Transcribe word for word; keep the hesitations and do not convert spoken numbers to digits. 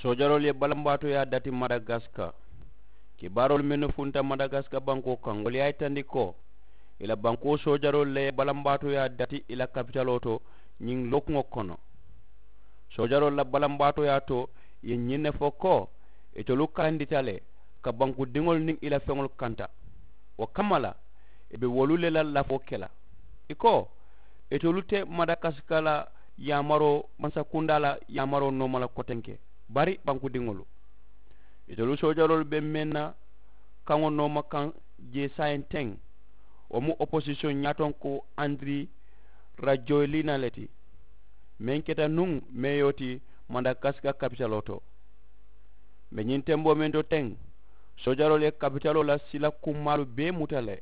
Soojaroolu ye balambaatooyaa dati madagaska. Kibaaroolu mennu funta madagaska bankoo kaŋ wolu ye a yitandi ko i la bankoo soojaroolu le ye balambaatooyaa dati i la kapitaloo to ñiŋ lookuŋo kono. Soojaroolu la balambaatooyaa to i ye ñiŋ ne fo ko itolu kalandita le ka bankudiŋolu niŋ i la feŋolu kanta. Wo kamma la i be wolu le la lafoo ke la i ko itolu te madagaska la yaamaroo mansakundaa la yaamaroo nooma la kotenke bari bankudiŋolu itolu soojaroolu be meŋ na kaŋo nooma kaŋ jee saayiŋ teŋ wo mu oposisiyoŋ ñaatonku andiri rajoyilina le ti meŋ keta nuŋ meeyoo ti madagaska kapitaloo to. Mbe ñiŋ temboo meŋ to teŋ soojaroolu ye kapitaloo la sila kummaalu bee muta le.